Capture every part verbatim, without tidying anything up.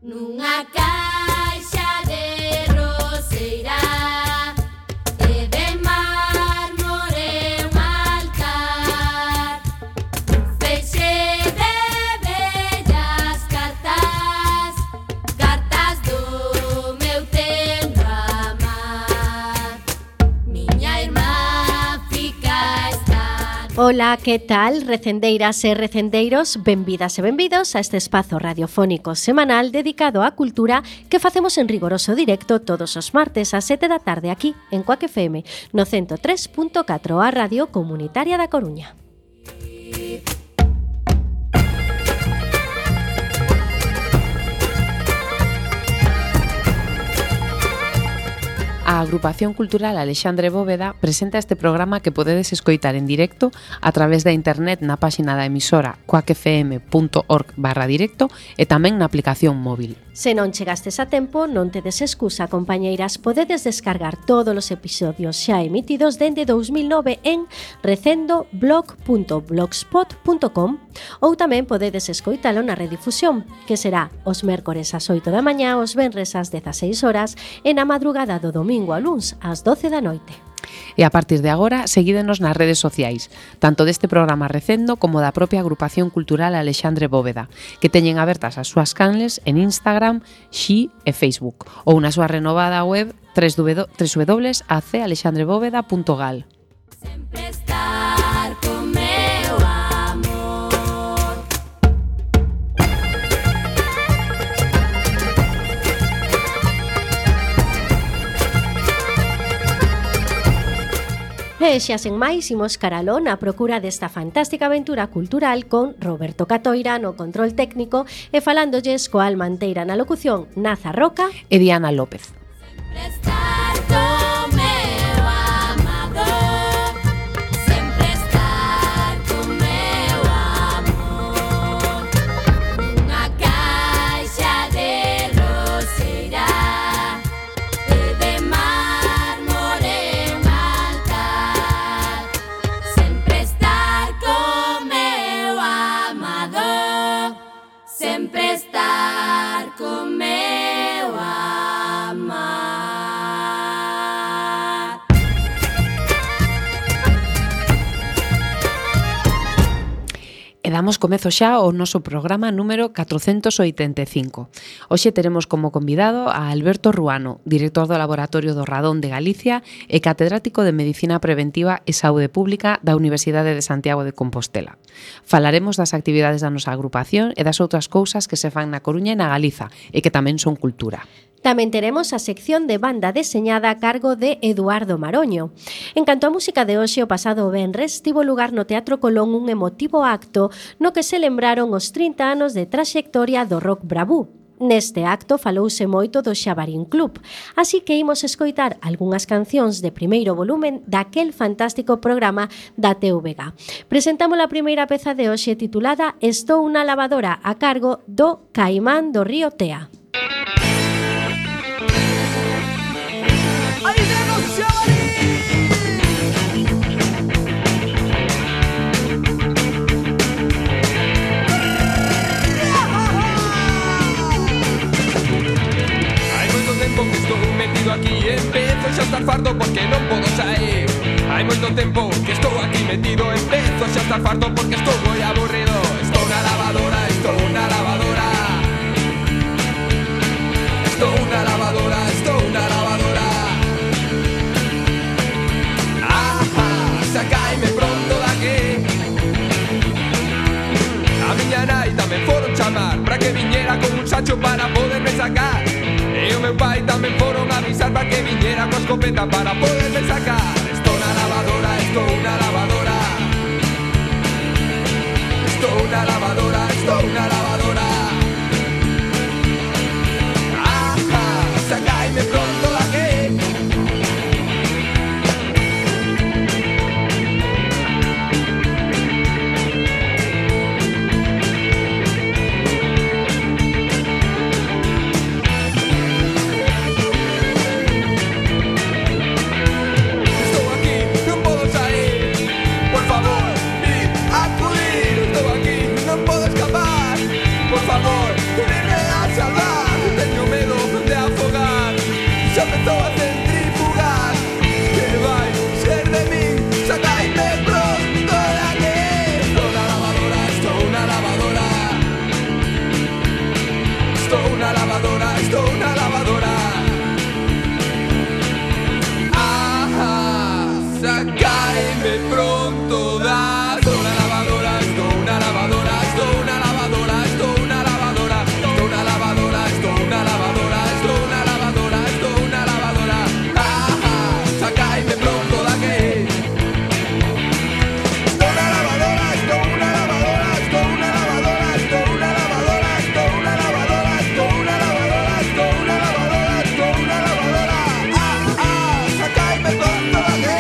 Nunha caixa de roseira e de mármore un altar, un feixe de bellas cartas, cartas do meu tendo amar. Miña irmá fica estar. Ola, que tal, recendeiras e recendeiros? Benvidas e benvidos a este espazo radiofónico semanal dedicado á cultura que facemos en rigoroso directo todos os martes ás sete da tarde aquí en Cuac F M no ciento tres punto catro, a Radio Comunitaria da Coruña. A Agrupación Cultural Alexandre Bóveda presenta este programa que podedes escoitar en directo a través da internet na páxina da emisora cuacfm.org barra directo e tamén na aplicación móvil. Se non chegastes a tempo, non tedes excusa, compañeiras, podedes descargar todos os episodios xa emitidos dende dous mil nove en recendo blog punto blogspot punto com ou tamén podedes escoitalo na redifusión, que será os mércores ás oito da mañá, os venres ás dezaseis horas e na madrugada do domingo a luns ás doce da noite. E a partir de agora, seguídenos nas redes sociais, tanto deste programa Recendo como da propia Agrupación Cultural Alexandre Bóveda, que teñen abertas as súas canles en Instagram, Xi e Facebook, ou na súa renovada web w w w punto a c alexandre bóveda punto gal. Sempre estar con meu amor. E xa sen máis, imos caralón á procura desta fantástica aventura cultural con Roberto Catoira no control técnico e falándolles coa almanteira na locución Naza Roca E Diana López. Sempre estar con meu amado, sempre estar con meu amor. Nunha caixa de roseira e de mármore un altar, sempre estar con meu amado, sempre estar con meu amar. E damos comezo xa ao noso programa número catrocentos oitenta e cinco. Hoxe teremos como convidado a Alberto Ruano, director do Laboratorio do Radón de Galicia e catedrático de Medicina Preventiva e Saúde Pública da Universidade de Santiago de Compostela. Falaremos das actividades da nosa agrupación e das outras cousas que se fan na Coruña e na Galiza e que tamén son cultura. Tamén teremos a sección de banda deseñada a cargo de Eduardo Maroño. En canto á música de hoxe, o pasado venres tivo lugar no Teatro Colón un emotivo acto no que se lembraron os trinta anos de traxectoria do rock bravú. Neste acto falouse moito do Xabarín Club, así que imos escoitar algunhas cancións de primeiro volumen daquel fantástico programa da T V G. Presentamos a primeira peza de hoxe titulada Estou unha lavadora, a cargo do Caimán do Río Tea. ¡Ahí vemos Xabarín! Hai moito tempo que estou metido aquí e empezo xa a estar farto porque non podo sair. Hai moito tempo que estou aquí metido e empezo xa a estar farto porque estou moi aburrido. Estou na lavadora, estou na lavadora. Estou na lavadora, estou na lavadora. Sacaime pronto daqui. A miña nai tamén foron chamar para que viñera con un sacho para poderme sacar. E o meu pai tamén foron avisar para que viñera coa escopeta para poderme sacar. Estou na lavadora, estou na lavadora. Estou na lavadora, estou na lavadora. Ajá, sacaime pronto daqui. Por favor, venidme a salvar. una lavadora, estou na lavadora. Ah, sacaime pronto da. Estou na lavadora, estou na lavadora, estou na lavadora, estou na lavadora, estou na lavadora, estou na lavadora, estou na lavadora, estou na lavadora. Ah, sacaime pronto da que. Estou na lavadora, estou na lavadora, estou na lavadora, estou na lavadora, estou na lavadora, estou na lavadora, estou na lavadora, estou na lavadora. Ah, ah, sacaime pronto da que.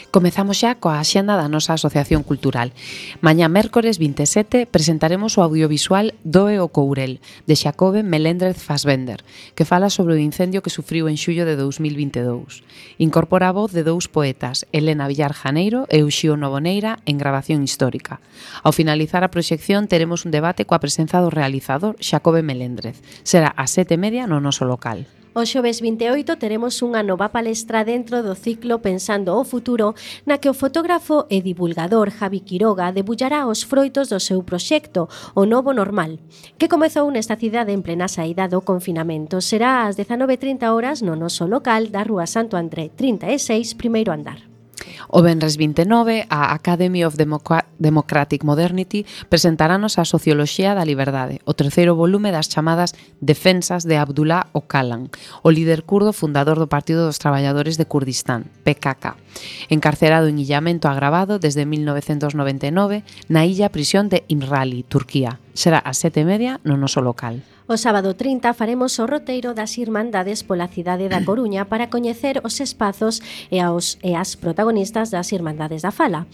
Comezamos xa coa axenda da nosa Asociación Cultural. Mañá mércores vinte e sete presentaremos o audiovisual Doe o Courel, de Xacobe Melendrez Fassbender, que fala sobre o incendio que sufriu en xullo de dous mil vinte e dous. Incorpora a voz de dous poetas, Elena Villar Janeiro e Uxío Novoneira, en grabación histórica. Ao finalizar a proxección teremos un debate coa presenza do realizador Xacobe Melendrez. Será ás sete e media no noso local. O xoves vinte e oito teremos unha nova palestra dentro do ciclo Pensando o Futuro, na que o fotógrafo e divulgador Javi Quiroga debullará os froitos do seu proxecto, O Novo Normal, que comezou nesta cidade en plena saída do confinamento. Será ás dezanove e trinta horas no noso local da Rúa Santo André trinta e seis, primeiro andar. O venres vinte e nove, a Academy of Democ- Democratic Modernity presentarános a Socioloxía da Liberdade, o terceiro volume das chamadas Defensas de Abdullah Öcalan, o líder kurdo fundador do Partido dos Traballadores de Kurdistán, P K K, encarcerado en illamento agravado desde mil novecentos noventa e nove na illa prisión de Imrali, Turquía. Será ás sete e media no noso local. O sábado trinta faremos o roteiro das Irmandades pola cidade da Coruña para coñecer os espazos e, aos, e as protagonistas das Irmandades da Fala.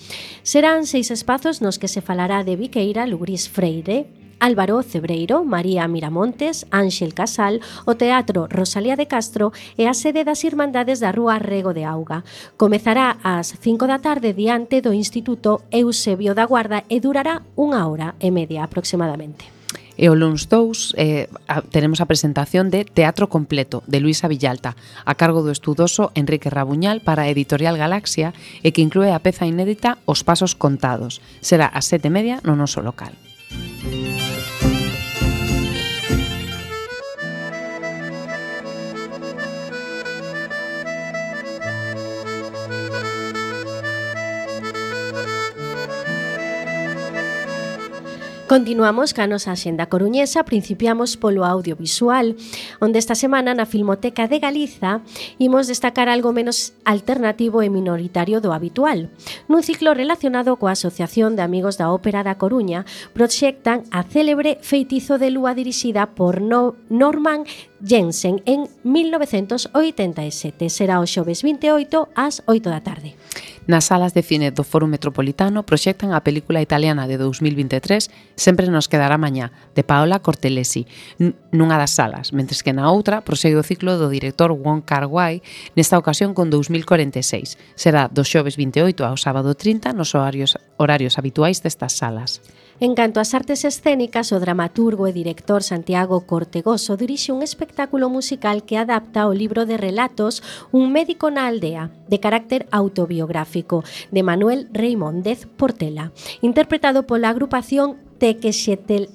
Serán seis espazos nos que se falará de Viqueira, Lugrís Freire, Álvaro Cebreiro, María Miramontes, Ánxel Casal, o Teatro Rosalía de Castro e a sede das Irmandades da Rúa Rego de Auga. Comezará ás cinco da tarde diante do Instituto Eusebio da Guarda e durará unha hora e media aproximadamente. E o luns dous eh, a, teremos a presentación de Teatro Completo, de Luisa Villalta, a cargo do estudoso Enrique Rabuñal para a Editorial Galaxia e que inclúe a peza inédita Os Pasos Contados. Será ás sete e media no noso local. Continuamos ca nosa axenda coruñesa, principiamos polo audiovisual, onde esta semana na Filmoteca de Galiza imos destacar algo menos alternativo e minoritario do habitual. Nun ciclo relacionado coa Asociación de Amigos da Ópera da Coruña, proxectan a célebre Feitizo de Lúa dirixida por no Norman Jensen en mil novecentos oitenta e sete. Será o xoves vinte e oito ás oito da tarde. Nas salas de cine do Foro Metropolitano proxectan a película italiana de dous mil vinte e tres Sempre nos quedará mañá, de Paola Cortelesi, nunha das salas, mentres que na outra prosegue o ciclo do director Wong Kar-wai, nesta ocasión con dous mil corenta e seis. Será do xoves vinte e oito ao sábado trinta nos horarios, horarios habituais destas salas. En canto ás artes escénicas, o dramaturgo e director Santiago Cortegoso dirixe un espectáculo musical que adapta o libro de relatos Un médico na aldea, de carácter autobiográfico, de Manuel Reimóndez Portela, interpretado pola agrupación Tequexetel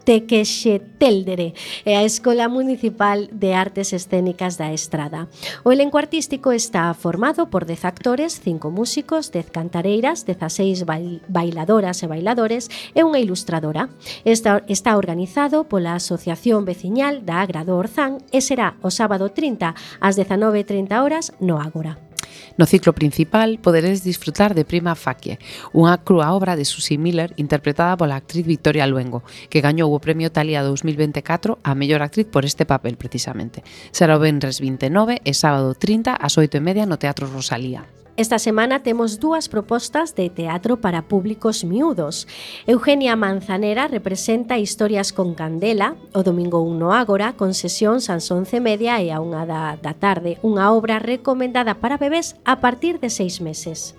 Tequexeteldere e a Escola Municipal de Artes Escénicas da Estrada. O elenco artístico está formado por dez actores, cinco músicos, dez cantareiras, dezaseis bailadoras e bailadores e unha ilustradora. Está, está organizado pola Asociación Veciñal da Agra do Orzán e será o sábado trinta ás dezanove e trinta horas no Ágora. No ciclo principal poderedes disfrutar de Prima Facie, unha crúa obra de Susie Miller interpretada pola actriz Victoria Luengo, que gañou o Premio Thalia dous mil vinte e catro a mellor actriz por este papel precisamente. Será o venres vinte e nove e sábado trinta ás oito e media no Teatro Rosalía. Esta semana temos dúas propostas de teatro para públicos miúdos. Eugenia Manzanera representa Historias con Candela, o domingo un no Ágora, con sesións ás once e media e a unha da, da tarde, unha obra recomendada para bebés a partir de seis meses.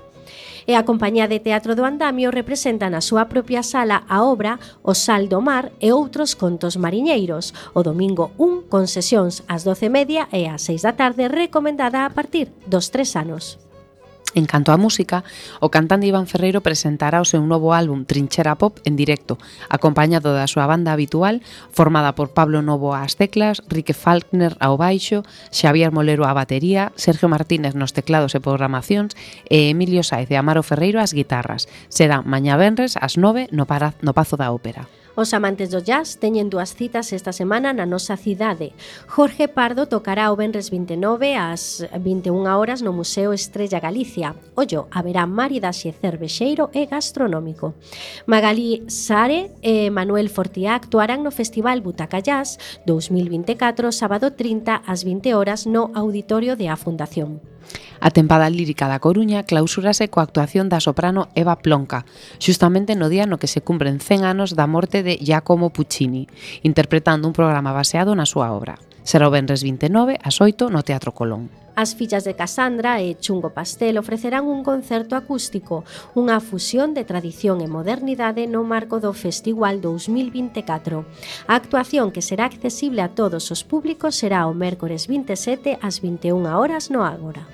E a Compañía de Teatro do Andamio representa na súa propia sala a obra O Sal do Mar e outros contos mariñeiros, o domingo un con sesións ás doce e media e ás seis da tarde, recomendada a partir dos tres anos. En canto á música, o cantante Iván Ferreiro presentará o seu novo álbum Trinchera Pop en directo, acompañado da súa banda habitual, formada por Pablo Novo ás teclas, Rique Falkner ao baixo, Xavier Molero á batería, Sergio Martínez nos teclados e programacións e Emilio Saez e Amaro Ferreiro ás guitarras. Será mañá venres ás nove no, para, no Pazo da Ópera. Os amantes do jazz teñen dúas citas esta semana na nosa cidade. Jorge Pardo tocará o venres vinte e nove ás vinte e unha horas no Museo Estrella Galicia. Ollo, haberá maridaxe cervexeiro e gastronómico. Magalí Sare e Manuel Fortiá actuarán no Festival Butaca Jazz dous mil vinte e catro, sábado trinta ás vinte horas no Auditorio de A Fundación. A tempada lírica da Coruña clausúrase coa actuación da soprano Eva Plonka, xustamente no día no que se cumpren cen anos da morte de Giacomo Puccini, interpretando un programa baseado na súa obra. Será o venres vinte e nove ás oito no Teatro Colón. As fillas de Casandra e Chungo Pastel ofrecerán un concerto acústico, unha fusión de tradición e modernidade no marco do Festival dous mil vinte e catro. A actuación, que será accesible a todos os públicos, será o mércores vinte e sete ás vinte e unha horas no Ágora.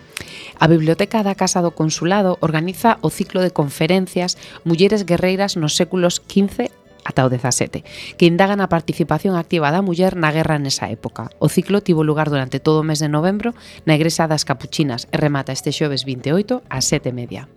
A Biblioteca da Casa do Consulado organiza o ciclo de conferencias Mulleres guerreiras nos séculos quince ata o dezasete, que indagan a participación activa da muller na guerra nesa época. O ciclo tivo lugar durante todo o mes de novembro na Igrexa das Capuchinas e remata este xoves vinte e oito ás sete e media.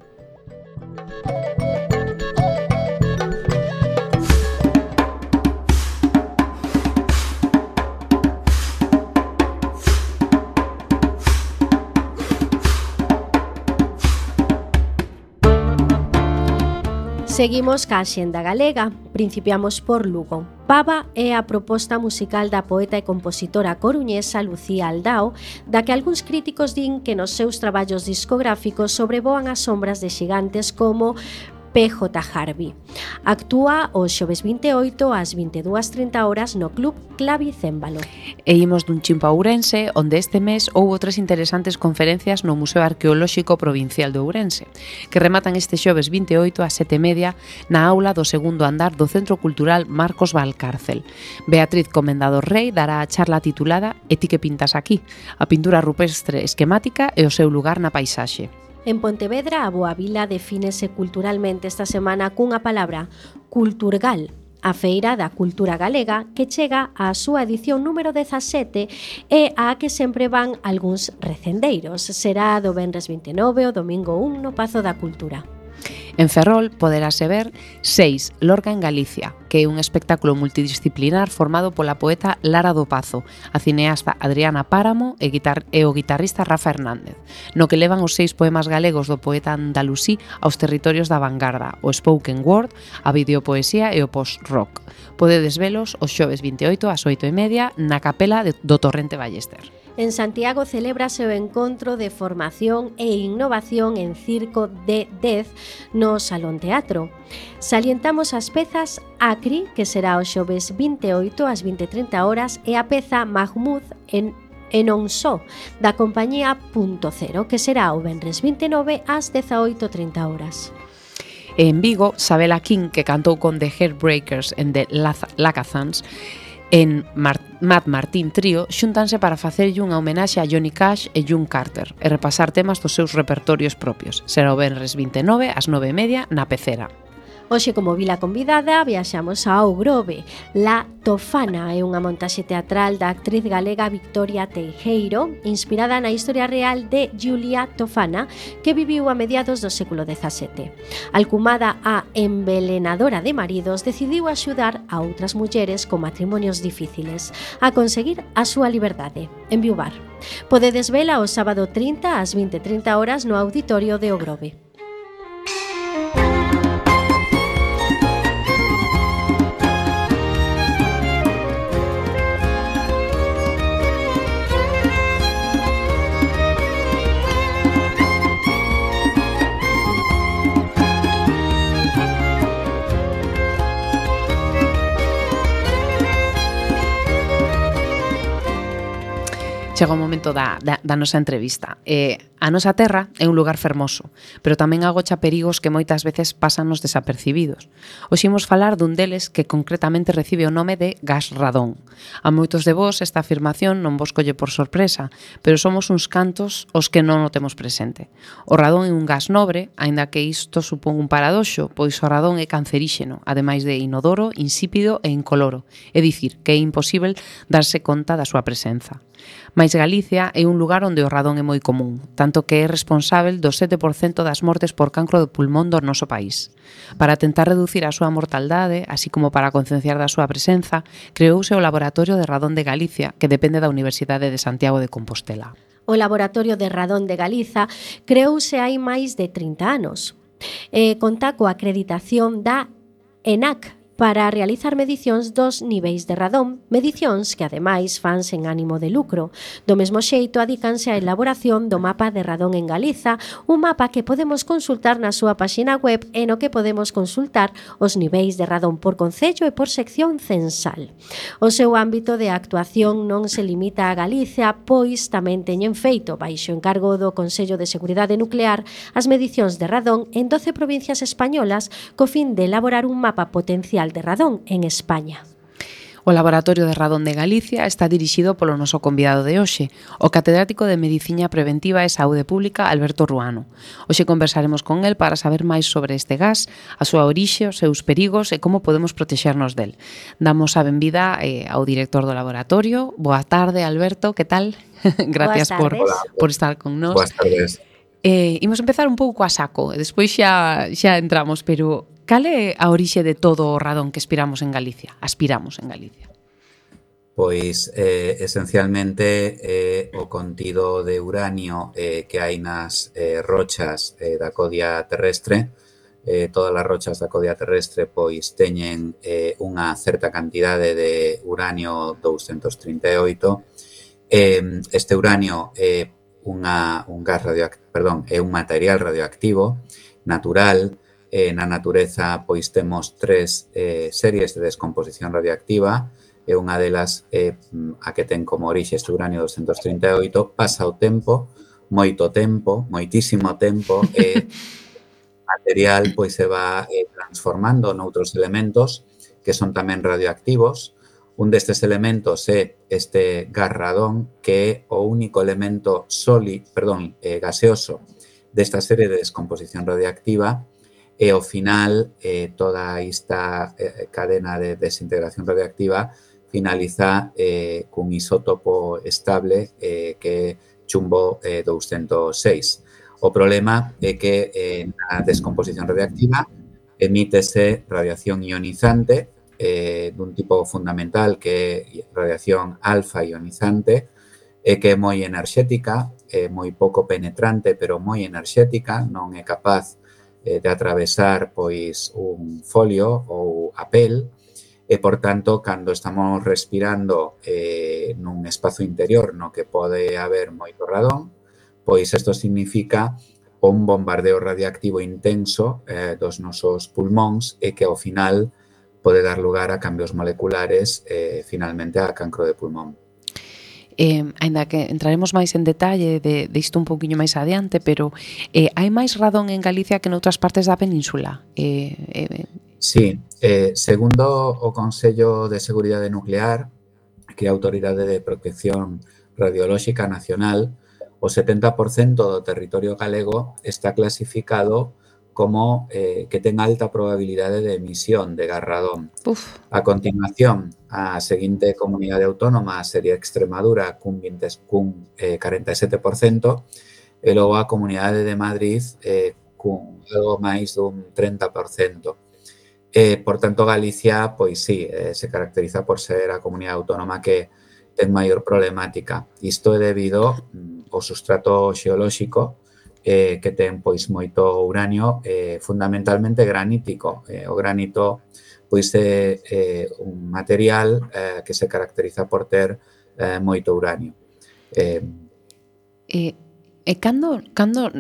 Seguimos ca Axenda Galega, principiamos por Lugo. Pava é a proposta musical da poeta e compositora coruñesa Lucía Aldao, da que algúns críticos din que nos seus traballos discográficos sobrevoan as sombras de xigantes como P J Harvey. Actúa o xoves vinte e oito ás vinte e dúas e trinta horas no Club Clavicémbalo. E imos dun chimpo a Ourense, onde este mes houbo tres interesantes conferencias no Museo Arqueolóxico Provincial de Ourense, que rematan este xoves vinte e oito ás sete e media na aula do segundo andar do Centro Cultural Marcos Valcárcel. Beatriz Comendador Rei dará a charla titulada E ti que pintas aquí? A pintura rupestre esquemática e o seu lugar na paisaxe. En Pontevedra, a Boa Vila defínese culturalmente esta semana cunha palabra, Culturgal, a Feira da Cultura Galega, que chega á súa edición número dezasete e á que sempre van algúns recendeiros. Será do venres vinte e nove o domingo un no Pazo da Cultura. En Ferrol poderase ver seis Lorca en Galicia, que é un espectáculo multidisciplinar formado pola poeta Lara do Pazo, a cineasta Adriana Páramo e, guitar e o guitarrista Rafa Hernández, no que levan os seis poemas galegos do poeta andalusí aos territorios da vanguarda, o spoken word, a videopoesía e o post-rock. Podedes velos os xoves vinte e oito ás oito e media na capela de, do Torrente Ballester. En Santiago celébrase o encontro de formación e innovación en circo de Dez no Salón Teatro. Salientamos as pezas Acri, que será o xoves vinte e oito ás vinte e trinta horas, e a peza Mahmoud en e non só, da compañía Punto Cero, que será o venres vinte e nove ás dezaoito e trinta horas. E en Vigo, Sabela King, que cantou con The Heartbreakers en The Lacazans, en Mar Matt Martín Trío, xúntanse para facerlle unha homenaxe a Johnny Cash e June Carter e repasar temas dos seus repertorios propios. Será o venres vinte e nove ás nove e media na Pecera. Hoxe, como vila convidada, viaxamos ao Grove. La Tofana é unha montaxe teatral da actriz galega Victoria Teijeiro, inspirada na historia real de Julia Tofana, que viviu a mediados do século dezasete. Alcumada a envelenadora de maridos, decidiu axudar a outras mulleres con matrimonios difíciles a conseguir a súa liberdade, enviuvar. Podedes vela o sábado trinta ás vinte e trinta horas no Auditorio de O Grove. Chega o momento da, da, da nosa entrevista. Eh, a nosa terra é un lugar fermoso, pero tamén agocha perigos que moitas veces pásanos desapercibidos. Hoxe imos falar dun deles que concretamente recibe o nome de gas radón. A moitos de vos esta afirmación non vos colle por sorpresa, pero somos uns cantos os que non o temos presente. O radón é un gas nobre, aínda que isto supón un paradoxo, pois o radón é canceríxeno, ademais de inodoro, insípido e incoloro, é dicir, que é imposível darse conta da súa presenza. Mais Galicia é un lugar onde o radón é moi común, tanto que é responsável do sete por cento das mortes por cancro de pulmón do noso país. Para tentar reducir a súa mortaldade, así como para concienciar da súa presenza, creouse o Laboratorio de Radón de Galicia, que depende da Universidade de Santiago de Compostela. O Laboratorio de Radón de Galiza creouse hai máis de trinta anos. E conta coa acreditación da ENAC para realizar medicións dos niveis de radón, medicións que ademais fan sen ánimo de lucro. Do mesmo xeito, adícanse á elaboración do mapa de radón en Galiza, un mapa que podemos consultar na súa páxina web e no que podemos consultar os niveis de radón por concello e por sección censal. O seu ámbito de actuación non se limita a Galicia, pois tamén teñen feito, baixo encargo do Consello de Seguridade Nuclear, as medicións de radón en doce provincias españolas co fin de elaborar un mapa potencial de radón en España. O Laboratorio de Radón de Galicia está dirixido polo noso convidado de hoxe, o catedrático de Medicina Preventiva e Saúde Pública, Alberto Ruano. Hoxe conversaremos con el para saber máis sobre este gas, a súa orixe, os seus perigos e como podemos protexernos del. Damos a benvida eh, ao director do laboratorio. Boa tarde, Alberto, que tal? Gracias por, por estar con nós. Boas tardes. Eh, imos empezar un pouco a saco, e despois xa, xa entramos, pero cal é a orixe de todo o radón que aspiramos en Galicia? Aspiramos en Galicia. Pois, eh, esencialmente, eh, o contido de uranio eh, que hai nas eh, rochas eh, da codia terrestre. Eh, todas as rochas da codia terrestre pois teñen eh, unha certa cantidade de uranio douscentos trinta e oito. Eh, este uranio é unha, un gas radioactivo, perdón, é un material radioactivo natural. Eh, na natureza pois temos tres eh, series de descomposición radioactiva e unha delas é eh, a que ten como orixe este uranio douscentos trinta e oito. Pasa o tempo, moito tempo, moitísimo tempo, e o material pois se va eh, transformando noutros elementos que son tamén radioactivos. Un destes elementos é este gas radón, que é o único elemento sólido, perdón, eh, gaseoso desta serie de descomposición radioactiva. E ao final, eh, toda esta eh, cadena de desintegración radioactiva finaliza eh, cun isótopo estable eh, que é chumbo eh, douscentos seis. O problema é que eh, na descomposición radioactiva emítese radiación ionizante eh, dun tipo fundamental que é radiación alfa ionizante, e que é moi enerxética, é moi pouco penetrante, pero moi enerxética, non é capaz de atravesar pois un folio ou a pel, e, por tanto, cando estamos respirando eh, nun espazo interior no que pode haber moito radón, pois isto significa un bombardeo radiactivo intenso eh, dos nosos pulmóns, e que ao final pode dar lugar a cambios moleculares e finalmente a cancro de pulmón. Eh, ainda que entraremos máis en detalle de, de isto un poquinho máis adiante, pero eh, hai máis radón en Galicia que noutras partes da península? Eh, eh, Sí, eh, segundo o Consello de Seguridade Nuclear, que é a Autoridade de Protección Radiolóxica Nacional, o setenta por cento do territorio galego está clasificado como eh, que ten alta probabilidade de emisión de gas radón. Uf. A continuación, a seguinte comunidade autónoma sería Extremadura, cun, vinte, cun eh, cuarenta e sete por cento, e logo a Comunidade de Madrid, eh, cun algo máis dun treinta por cento. Eh, por tanto, Galicia, pois sí, eh, se caracteriza por ser a comunidade autónoma que ten maior problemática. Isto é debido mm, ao sustrato xeolóxico, Eh, que ten pois moito uranio, eh, fundamentalmente granítico. Eh, o granito pois é eh, un material eh, que se caracteriza por ter eh, moito uranio. Eh, e, e cando, cando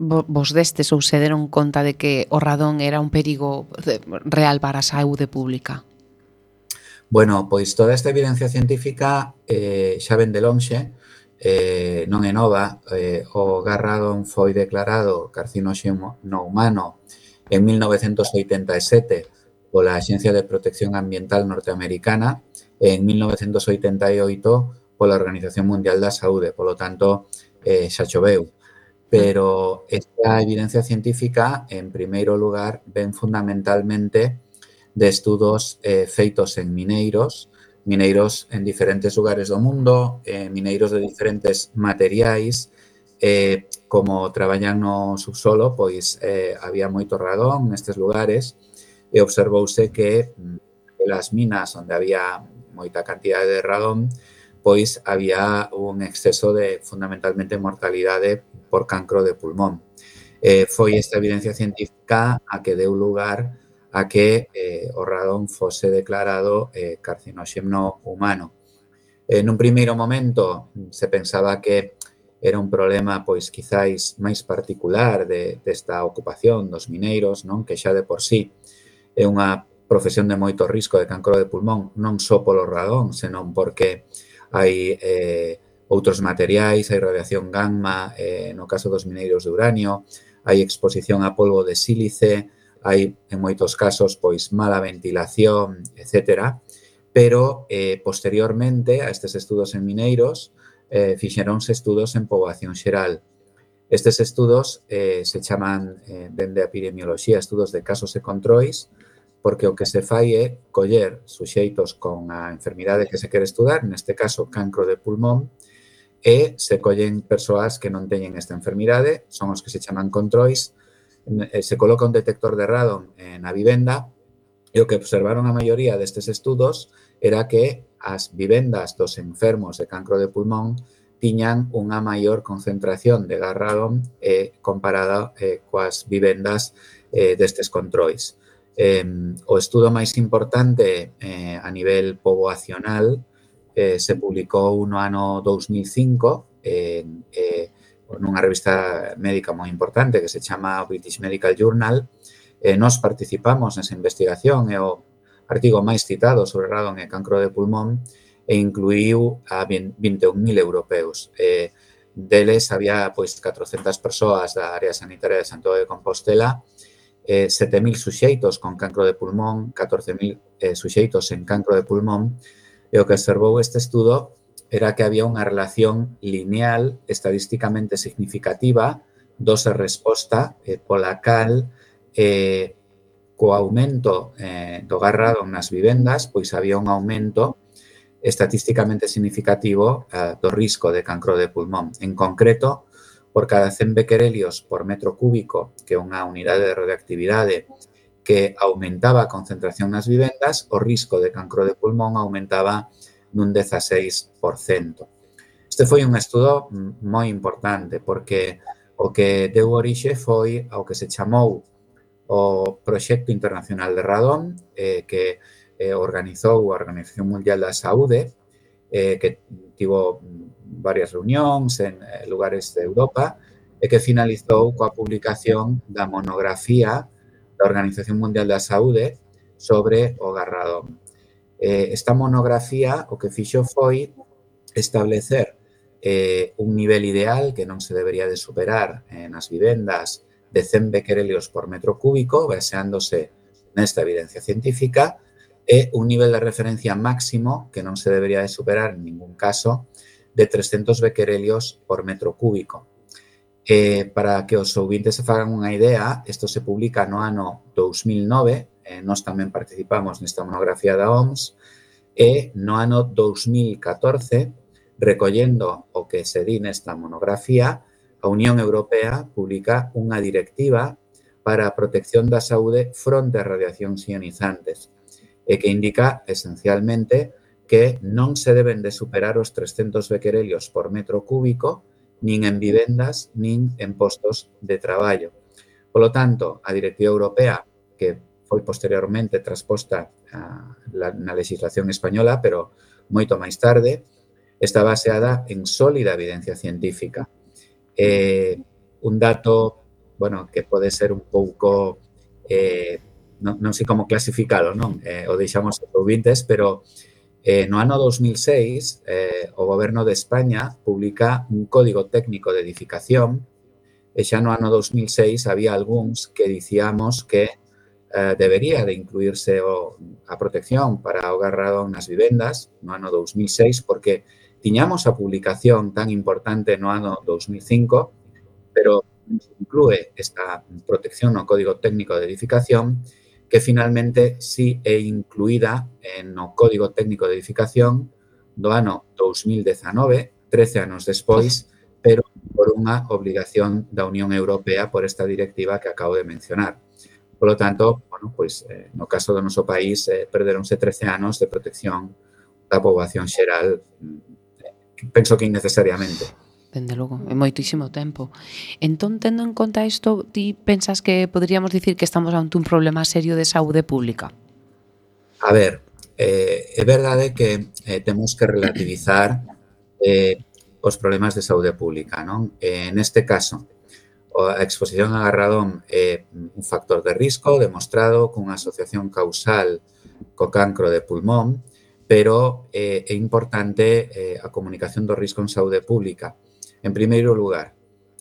vos destes ou se deron conta de que o radón era un perigo real para a saúde pública? Bueno, pois toda esta evidencia científica eh, xa ven de lonxe, eh, non é nova. Eh, o gas radón foi declarado carcinóxeno no humano en mil novecentos oitenta e sete pola Axencia de Protección Ambiental norteamericana e en mil novecentos oitenta e oito pola Organización Mundial da Saúde. Polo tanto, eh, xa choveu. Pero esta evidencia científica, en primeiro lugar, ven fundamentalmente de estudos eh, feitos en mineiros, mineiros en diferentes lugares do mundo, eh, mineiros de diferentes materiais. Eh, como traballan no subsolo, pois eh, había moito radón nestes lugares e observouse que nas minas onde había moita cantidade de radón, pois había un exceso de, fundamentalmente, mortalidade por cancro de pulmón. Eh, foi esta evidencia científica a que deu lugar a que eh, o radón fose declarado eh, carcinóxeno humano. En un primeiro momento se pensaba que era un problema, pois, quizáis máis particular de, desta ocupación dos mineiros, non? Que xa de por sí é unha profesión de moito risco de cancro de pulmón, non só polo radón, senón porque hai eh, outros materiais, hai radiación gamma, eh, no caso dos mineiros de uranio, hai exposición a polvo de sílice, hai, en moitos casos, pois mala ventilación, etcétera. Pero, eh, posteriormente a estes estudos en mineiros, eh, fixeronse estudos en poboación xeral. Estes estudos eh, se chaman, eh, dende a epidemioloxía, estudos de casos e controis, porque o que se fai é coller suxeitos con a enfermidade que se quere estudar, neste caso cancro de pulmón, e se collen persoas que non teñen esta enfermidade, son os que se chaman controis, se coloca un detector de radón na vivenda e o que observaron a maioría destes estudos era que as vivendas dos enfermos de cancro de pulmón tiñan unha maior concentración de gas radón eh, comparada eh, coas vivendas eh, destes controis. Eh, o estudo máis importante eh, a nivel poboacional eh, se publicou no ano dous mil cinco en eh, nunha revista médica moi importante que se chama British Medical Journal. Eh, nos participamos nesa investigación, é o artigo máis citado sobre radón e cancro de pulmón e incluíu a vinte e un mil europeos. Eh, deles había pois catrocentas persoas da área sanitaria de Santiago de Compostela, eh, sete mil suxeitos con cancro de pulmón, catorce mil eh, suxeitos en cancro de pulmón, e o que observou este estudo era que había unha relación lineal estadísticamente significativa dose-resposta eh, pola cal eh, co aumento eh, do gas radón nas vivendas, pois había un aumento estatísticamente significativo eh, do risco de cancro de pulmón. En concreto, por cada cen bequerelios por metro cúbico, que é unha unidade de radioactividade que aumentaba a concentración nas vivendas, o risco de cancro de pulmón aumentaba nun dezaseis por cento. Este foi un estudo moi importante porque o que deu orixe foi ao que se chamou o Proxecto Internacional de Radón, eh, que eh, organizou a Organización Mundial da Saúde, eh, que tivo varias reunións en eh, lugares de Europa e que finalizou coa publicación da monografía da Organización Mundial da Saúde sobre o gas radón. Eh, esta monografía o que fixo foi establecer eh, un nivel ideal que non se debería de superar eh, nas vivendas de cen bequerelios por metro cúbico, baseándose nesta evidencia científica, e un nivel de referencia máximo que non se debería de superar en ningún caso de trescentos bequerelios por metro cúbico. Eh, para que os ouvintes se fagan unha idea, isto se publica no ano dous mil nove, eh, nós tamén participamos nesta monografía da O M S, e no ano dous mil catorce, recollendo o que se di nesta monografía, a Unión Europea publica unha directiva para a protección da saúde fronte a radiacións ionizantes e que indica, esencialmente, que non se deben de superar os trescentos bequerelios por metro cúbico nin en vivendas, nin en postos de traballo. Polo tanto, a directiva europea, que foi posteriormente transposta a, la, na legislación española, pero moito máis tarde, está baseada en sólida evidencia científica. Eh, un dato, bueno, que pode ser un pouco, eh, non, non sei como clasificalo, non? Eh, o deixamos aos ouvintes, pero Eh, no ano dos mil seis, eh, o Goberno de España publica un Código Técnico de Edificación e xa no ano dos mil seis había algúns que dicíamos que eh, debería de incluirse o, a protección para o gas radón nas vivendas no ano dos mil seis porque tiñamos a publicación tan importante no ano dos mil cinco, pero inclúe esta protección no Código Técnico de Edificación que finalmente sí é incluída no Código Técnico de Edificación do ano dos mil dezanove, trece anos despois, pero por unha obligación da Unión Europea por esta directiva que acabo de mencionar. Por lo tanto, bueno, pois, eh, no caso do noso país, eh, perderonse trece anos de protección da poboación xeral, eh, penso que innecesariamente. Dende logo, é moitísimo tempo. Entón, tendo en conta isto, ti pensas que poderíamos dicir que estamos ante un problema serio de saúde pública? A ver, eh, é verdade que eh, temos que relativizar eh, os problemas de saúde pública, non? Eh, neste caso, a exposición a radón é un factor de risco demostrado cunha asociación causal co cancro de pulmón, pero eh, é importante eh, a comunicación do risco en saúde pública. En primeiro lugar,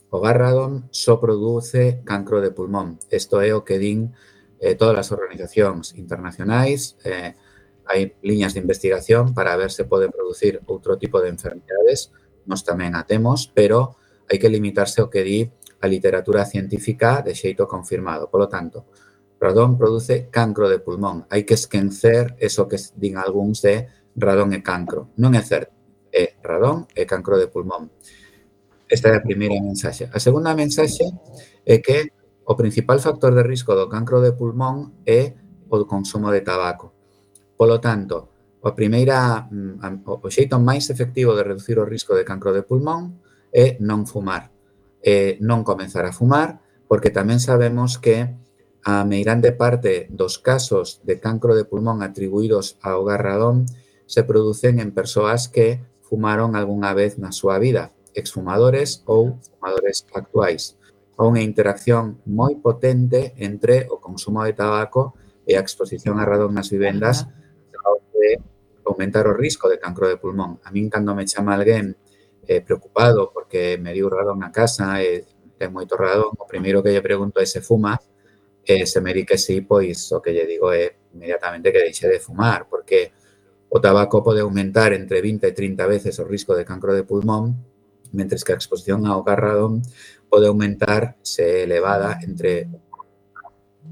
o gas radón só produce cancro de pulmón. Isto é o que din eh, todas as organizacións internacionais. Eh, hai liñas de investigación para ver se pode producir outro tipo de enfermedades. Nos tamén a temos, pero hai que limitarse ao que di a literatura científica de xeito confirmado. Por lo tanto, radón produce cancro de pulmón. Hai que esquecer eso que din algúns de radón e cancro. Non é certo. É radón e cancro de pulmón. Esta é a primeira mensaxe. A segunda mensaxe é que o principal factor de risco do cancro de pulmón é o consumo de tabaco. Por lo tanto, a primeira, o xeito máis efectivo de reducir o risco de cancro de pulmón é non fumar. É non comenzar a fumar, porque tamén sabemos que a meirande parte dos casos de cancro de pulmón atribuídos ao gas radón se producen en persoas que fumaron algunha vez na súa vida, exfumadores ou fumadores actuais. Há unha interacción moi potente entre o consumo de tabaco e a exposición a radón nas vivendas de aumentar o risco de cancro de pulmón. A min, cando me chama alguén eh, preocupado porque me diu radón na casa e ten moito radón, o primeiro que lle pregunto é se fuma, e se me di que sí, pois o que lle digo é inmediatamente que deixe de fumar, porque o tabaco pode aumentar entre vinte e trinta veces o risco de cancro de pulmón, mentres que a exposición ao gas radón pode aumentar, se elevada, entre cero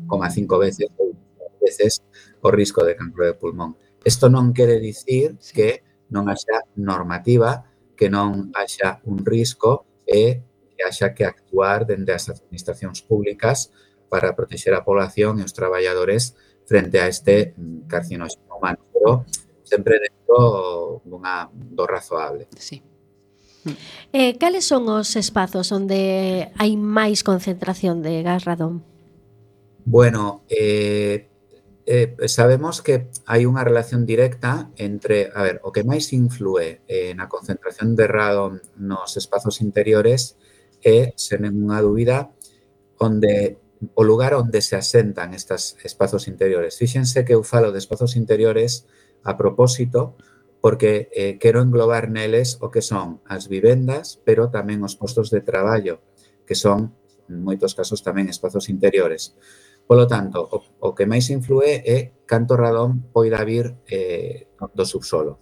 coma cinco veces ou veces o risco de cancro de pulmón. Isto non quere dicir que non haxa normativa, que non haxa un risco e que haxa que actuar dende as administracións públicas para protexer a población e os traballadores frente a este carcinóxeno humano, pero sempre dentro dunha, do razoable. Sí. Eh, cales son os espazos onde hai máis concentración de gas radón? Bueno, eh, eh, sabemos que hai unha relación directa entre, a ver, o que máis influe eh, na concentración de radón nos espazos interiores é, sen ninguna dúbida, onde o lugar onde se asentan estes espazos interiores. Fíxense que eu falo de espazos interiores a propósito, porque eh, quero englobar neles o que son as vivendas, pero tamén os postos de traballo, que son, en moitos casos, tamén espazos interiores. Por lo tanto, o, o que máis influe é canto radón poida vir eh, do subsolo.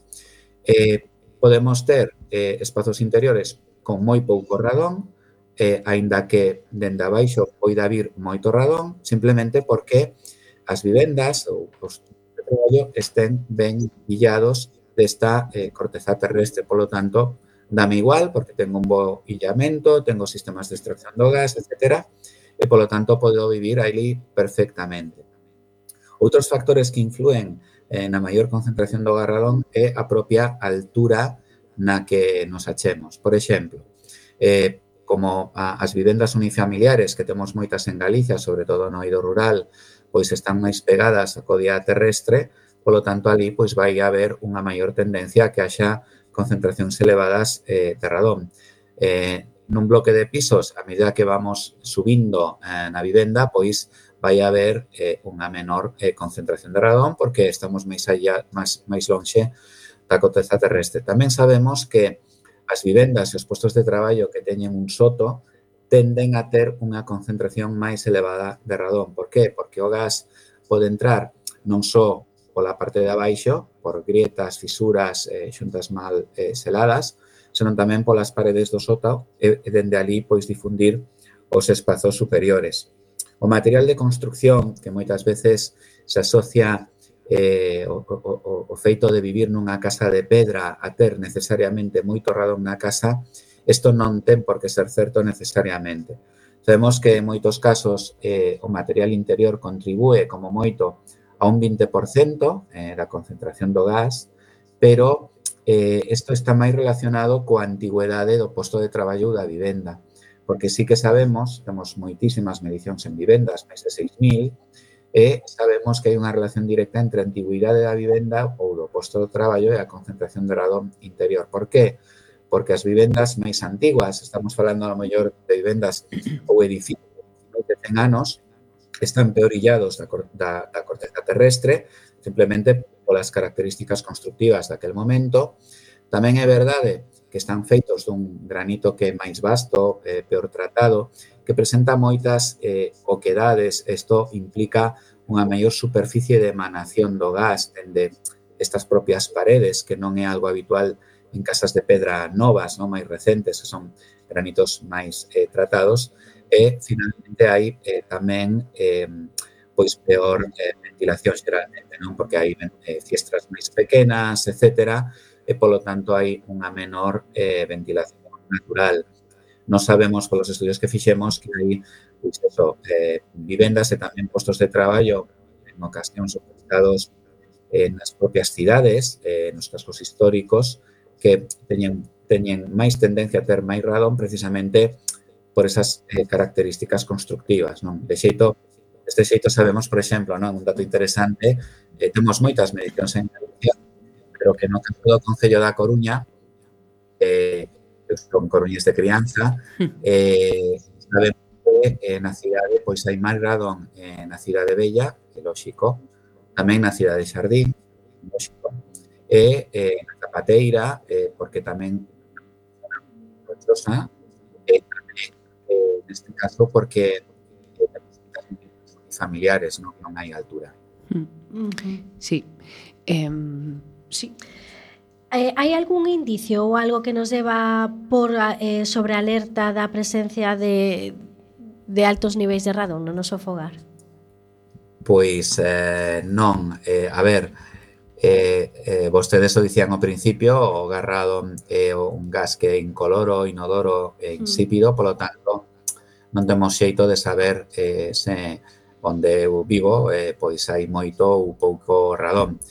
Eh, podemos ter eh, espazos interiores con moi pouco radón, eh, aínda que dende abaixo poida vir moito radón, simplemente porque as vivendas ou os de traballo estén ben illados desta eh, corteza terrestre. Por lo tanto, dame igual, porque tengo un bo illamento, tengo sistemas de extracción do gas, etcétera, e, por lo tanto, podo vivir ali perfectamente. Outros factores que influen eh, na maior concentración do gas radón é a propia altura na que nos achemos. Por exemplo, eh, como a, as vivendas unifamiliares que temos moitas en Galicia, sobre todo no eido rural, pois están máis pegadas á codia terrestre. Por lo tanto, ali pois vai haber unha maior tendencia a que haxa concentracións elevadas eh, de radón. Eh, nun bloque de pisos, a medida que vamos subindo eh, na vivenda, pois vai haber eh, unha menor eh, concentración de radón porque estamos máis, allá, máis, máis lonxe da corteza terrestre. Tamén sabemos que as vivendas e os postos de traballo que teñen un soto tenden a ter unha concentración máis elevada de radón. Por qué? Porque o gas pode entrar non só pola parte de abaixo, por grietas, fisuras, eh, xuntas mal eh, seladas, senón tamén polas paredes do sótao e, e dende ali pois difundir os espazos superiores. O material de construcción, que moitas veces se asocia eh, o, o, o feito de vivir nunha casa de pedra a ter necesariamente moito radón na casa, isto non ten por que ser certo necesariamente. Sabemos que en moitos casos eh, o material interior contribúe como moito a un vinte por cento eh, da concentración do gas, pero eh, isto está máis relacionado coa antigüedade do posto de traballo da vivenda. Porque sí que sabemos, temos moitísimas medicións en vivendas, máis de seis mil, e sabemos que hai unha relación directa entre a antigüidade da vivenda ou do posto de traballo e a concentración de radón interior. Por qué? Porque as vivendas máis antiguas, estamos falando a lo mellor de vivendas ou edificios de cen anos, están peor illados da, da, da corteza terrestre, simplemente polas características constructivas daquel momento. Tamén é verdade que están feitos dun granito que é máis vasto, eh, peor tratado, que presenta moitas eh, oquedades. Isto implica unha maior superficie de emanación do gas dende estas propias paredes, que non é algo habitual en casas de pedra novas, non máis recentes, que son granitos máis eh, tratados. E, finalmente, hai eh, tamén eh, pois peor eh, ventilación xeralmente, non? Porque hai eh, fiestras máis pequenas, etcétera, e, polo tanto, hai unha menor eh, ventilación natural. Nos sabemos, polos estudios que fixemos, que hai pois, eso, eh, vivendas e tamén postos de traballo en ocasións ubicados eh, nas propias cidades, eh, nos cascos históricos, que teñen, teñen máis tendencia a ter máis radón precisamente por esas eh, características constructivas, non? De xeito, deste xeito sabemos, por exemplo, non? Un dato interesante, eh, temos moitas medicións en Galicia, pero que no campo do Concello da Coruña, eh, son coruñes de crianza, eh, sabemos que eh, na cidade pois hai máis radón eh, na cidade Bella, que lóxico, tamén na cidade Xardín, lóxico, e eh, na Zapateira, eh, porque tamén e tamén, eh, neste caso, porque eh, familiares, non, non hai altura. Sí. Eh, Sí. Eh, hai algún indicio ou algo que nos deba por eh, sobre alerta da presencia de, de altos niveis de radón no noso fogar? Pois eh, non. Eh, a ver, eh, eh, vostedes o dicían ao principio, o gas radón é un gas que é incoloro, inodoro e insípido, mm. polo tanto, non temos xeito de saber eh, se onde eu vivo eh, pois hai moito ou pouco radón.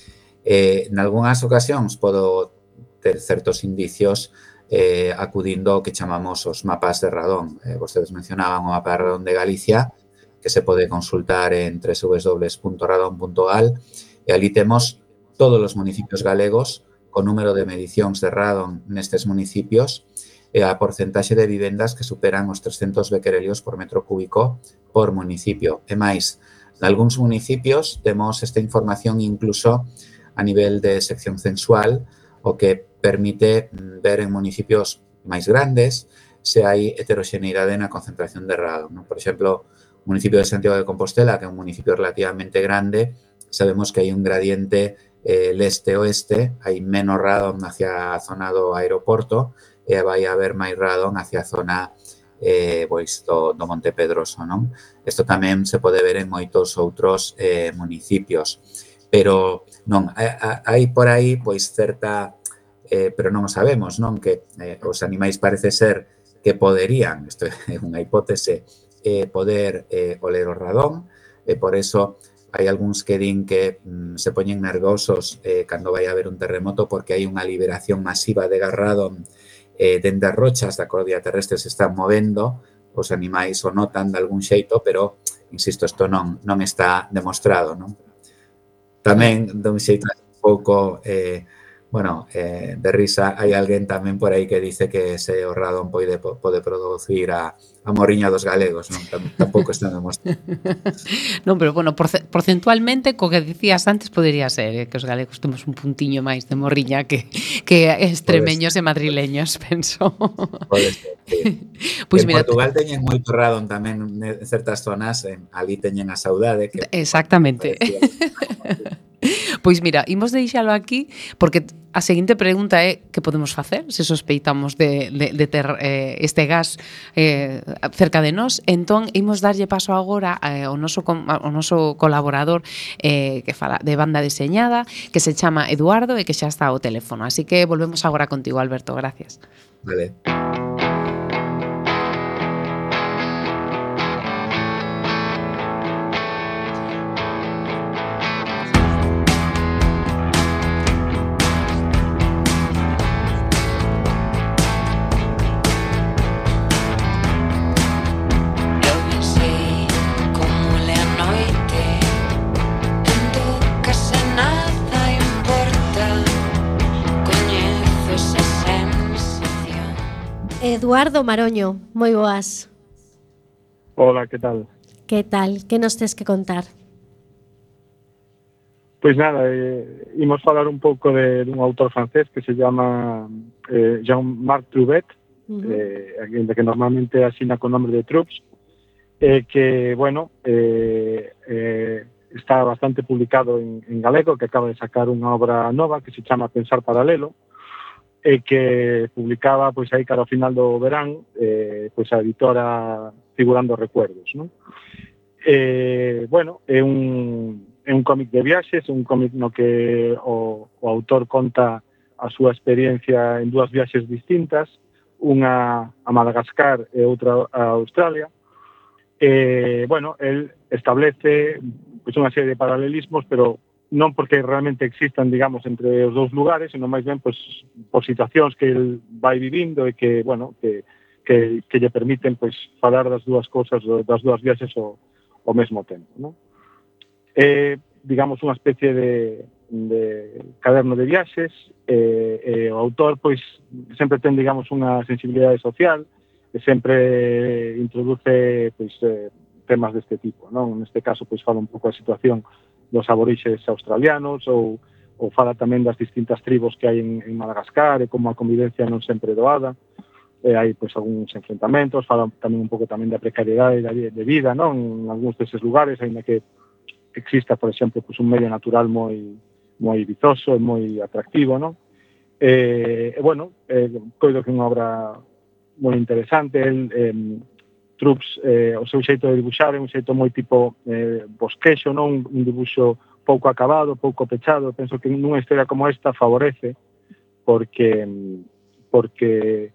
Eh, en algunhas ocasións podo ter certos indicios eh, acudindo ao que chamamos os mapas de radón. Eh, vostedes mencionaban o mapa de radón de Galicia, que se pode consultar en doble u doble u doble u punto radón punto gal, e ali temos todos os municipios galegos co número de medicións de radón nestes municipios e a porcentaxe de vivendas que superan os trescentos becquerelios por metro cúbico por municipio. E máis, nalgúns municipios temos esta información incluso a nivel de sección censual, o que permite ver en municipios máis grandes se hai heteroxeneidade na concentración de radón, non? Por exemplo, o municipio de Santiago de Compostela, que é un municipio relativamente grande, sabemos que hai un gradiente eh, leste-oeste, hai menos radón hacia a zona do aeroporto e vai haber máis radón hacia a zona eh, pois, do, do Monte Pedroso, non? Isto tamén se pode ver en moitos outros eh, municipios. Pero non, hai por aí pois certa, eh, pero non o sabemos, non? Que eh, os animais parece ser que poderían, isto é unha hipótese, eh, poder eh, oler o radón, e por eso hai algúns que din que mm, se poñen nervosos eh, cando vai haber un terremoto porque hai unha liberación masiva de gas radón eh, dende as rochas da cordillera terrestre se están movendo, os animais o notan de algún xeito, pero, insisto, isto non, non está demostrado, non? Tamén, dun xeito un pouco eh, Bueno, eh, de risa, hai alguén tamén por aí que dice que ese o radón pode, pode producir a, a morriña dos galegos, non? Tam, tampouco está demostrado. Non, pero bueno, porce- porcentualmente, co que dicías antes, podería ser eh, que os galegos temos un puntiño máis de morriña que, que extremeños e madrileños, penso. Pode ser, sí. Pois En mira, Portugal teñen moito radón tamén en certas zonas, en, ali teñen a saudade que exactamente. Pois mira, imos deixalo aquí porque a seguinte pregunta é que podemos facer se sospeitamos de, de, de ter eh, este gas eh, cerca de nós. Entón, imos darlle paso agora eh, ao, noso, ao noso colaborador eh, que fala de banda deseñada, que se chama Eduardo e que xa está ao teléfono. Así que volvemos agora contigo, Alberto. Gracias. Vale. Eduardo Maroño, moi boas. Hola, que tal? Que tal? Que nos tes que contar? Pois nada, eh, imos falar un pouco de, de un autor francés que se llama eh, Jean-Marc Troubet, uh-huh. eh, que normalmente asina con nombre de Troops, eh, que, bueno, eh, eh, está bastante publicado en, en galego, que acaba de sacar unha obra nova que se chama Pensar Paralelo, e que publicaba pois aí cara ao final do verán eh, pois a editora Figurando Recuerdos, non? Eh, bueno, é un, é un cómic de viaxes, un cómic no que o, o autor conta a súa experiencia en dúas viaxes distintas, unha a Madagascar e outra a Australia. Eh, bueno, el establece pois unha serie de paralelismos, pero non porque realmente existan, digamos, entre os dous lugares, senón máis ben pois, por situacións que el vai vivindo e que, bueno, que, que, que lle permiten pois, falar das dúas cousas, das dúas viaxes ao, ao mesmo tempo, non? É, digamos, unha especie de, de caderno de viaxes, e, e o autor, pois, sempre ten, digamos, unha sensibilidade social, e sempre introduce, pois, eh, temas deste tipo, non? Neste caso, pois, fala un pouco a situación dos aborixes australianos ou, ou fala tamén das distintas tribos que hai en, en Madagascar e como a convivencia non sempre doada, e hai pois algúns enfrentamentos, fala tamén un pouco tamén da precariedade de vida, non? En algúns deses lugares, ainda que exista, por exemplo, pois un medio natural moi moi vizoso e moi atractivo, non? E, e bueno, eh, coido que é unha obra moi interesante, el eh, Troops, eh, o seu xeito de dibuixar é un xeito moi tipo eh, bosquexo, non? Un dibuixo pouco acabado, pouco pechado. Penso que nunha historia como esta favorece porque porque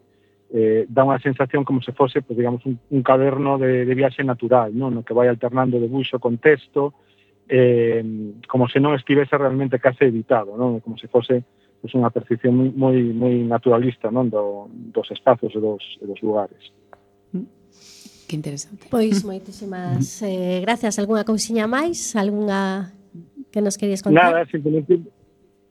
eh, dá unha sensación como se fose, pues, digamos, un, un caderno de, de viaxe natural, non? No que vai alternando debuxo con texto, eh, como se non estivese realmente case editado, non? Como se fose pues, unha percepción moi, moi, moi naturalista, non? Do, dos espazos e dos, e dos lugares. Que interesante. Pois moitísimas eh, gracias. Algúna cousiña máis? Algúna que nos querías contar? Nada, simplemente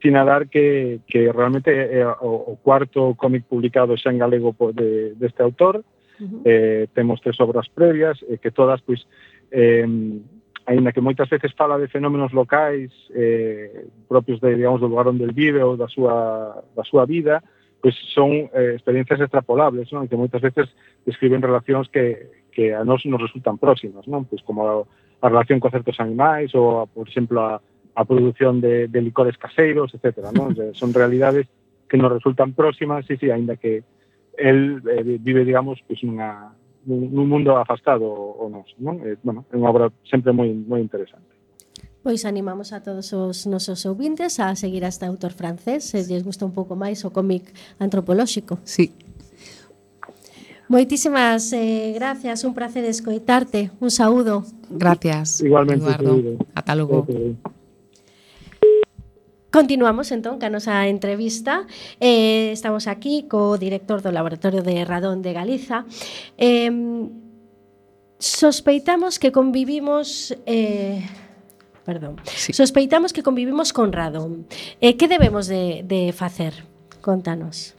sinadar que, que realmente é o, o cuarto cómic publicado xa en galego de, deste autor. Uh-huh. Eh, temos tres obras previas, eh, que todas, pois, eh, aínda que moitas veces fala de fenómenos locais eh, propios de, digamos, do lugar onde el vive ou da súa, da súa vida, pois son eh, experiencias extrapolables, non? Que moitas veces describen relacións que que a nós nos resultan próximas, non? Pois como a, a relación con certos animais ou, a, por exemplo, a, a produción de, de licores caseiros, etcétera, non? Son realidades que nos resultan próximas, sí, sí, aínda que el eh, vive, digamos, pois nunha, nun mundo afastado o nos, non? Eh, bueno, é unha obra sempre moi moi interesante. Pois animamos a todos os nosos ouvintes a seguir a este autor francés, se lles gusta un pouco máis o cómic antropolóxico. Sí. Moitísimas eh, gracias, un placer escoitarte, un saúdo. Gracias, igualmente, Eduardo. Ata logo. Continuamos entón ca nosa entrevista. Eh, estamos aquí co director do Laboratorio de Radón de Galiza. Eh, sospeitamos que convivimos eh, perdón. Sí. Sospeitamos que convivimos con radón. Eh, que debemos de, de facer? Contanos.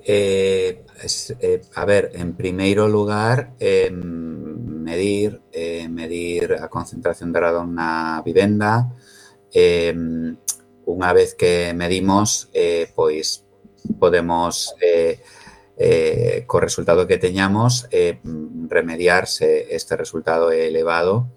Eh, es, eh, a ver, en primeiro lugar, eh, medir eh, medir a concentración de radón na vivenda. Eh, unha vez que medimos, eh, pois podemos, eh, eh, co resultado que teñamos, eh, remediar se este resultado é elevado,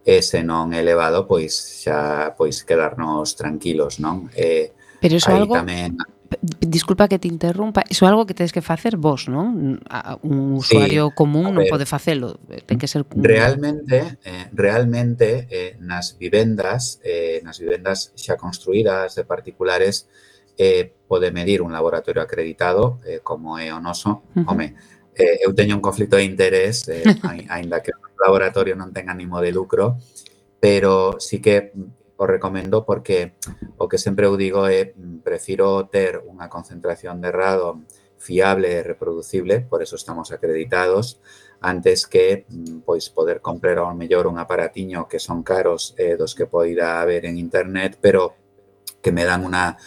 e se non é elevado, pois xa pois quedarnos tranquilos, non? Eh, Pero iso aí algo... tamén... Disculpa que te interrumpa, iso é algo que tedes que facer vos, non? Un usuario Sí, común non ver, pode facelo, ten que ser... Realmente, eh, realmente eh, nas vivendas, eh, nas vivendas xa construídas de particulares, eh, pode medir un laboratorio acreditado, eh, como é o noso. Uh-huh. Home, eh, eu teño un conflito de interés, eh, aínda que o laboratorio non ten ánimo de lucro, pero sí que o recomendo porque o que sempre eu digo é prefiro ter unha concentración de radón fiable e reproducible, por eso estamos acreditados, antes que pois poder comprar ao mellor un aparatiño que son caros eh, dos que poida haber en internet, pero que me dan unha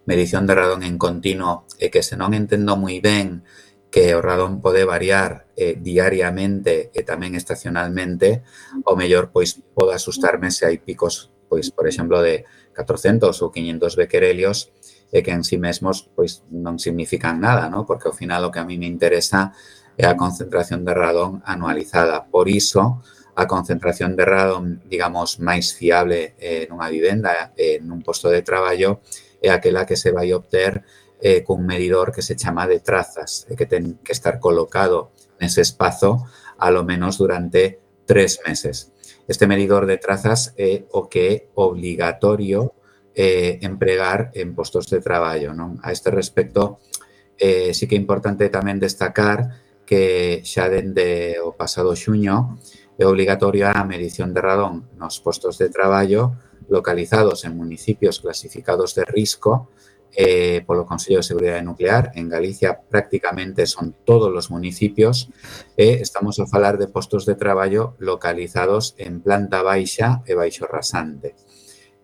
medición de radón en continuo e que se non entendo moi ben que o radón pode variar eh, diariamente e tamén estacionalmente, o mellor pois pode asustarme se hai picos, pois por exemplo de catrocentos ou quinhentos bequerelios e que en sí mesmos pois non significan nada, ¿no? Porque ao final o que a mí me interesa é a concentración de radón anualizada. Por iso, a concentración de radón, digamos, máis fiable eh, nunha vivenda, eh, nun posto de traballo, é aquela que se vai obter eh, cun medidor que se chama de trazas, e que ten que estar colocado nese espazo a lo menos durante tres meses. Este medidor de trazas é o que é obligatorio eh, empregar en postos de traballo, non? A este respecto, eh, sí que é importante tamén destacar que xa dende o pasado xuño é obligatoria a medición de radón nos postos de traballo localizados en municipios clasificados de risco eh, polo Consello de Seguridade Nuclear. En Galicia prácticamente son todos os municipios e estamos a falar de postos de traballo localizados en planta baixa e baixo rasante.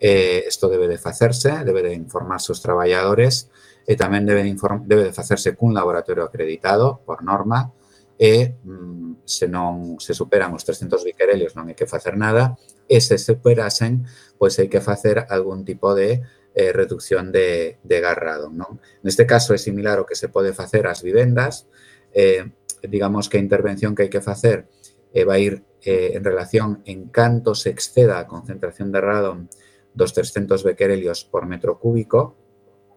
Eh, isto debe de facerse, debe de informarse os traballadores e tamén debe de, inform- debe de facerse cun laboratorio acreditado por norma e mm, se non se superan os trescentos bequerelios non hai que facer nada e se superasen, pois hai que facer algún tipo de eh, reducción de, de gas radón, non? Neste caso é similar ao que se pode facer ás vivendas, eh, digamos que a intervención que hai que facer eh, vai ir eh, en relación en canto se exceda a concentración de radón dos trescentos bequerelios por metro cúbico,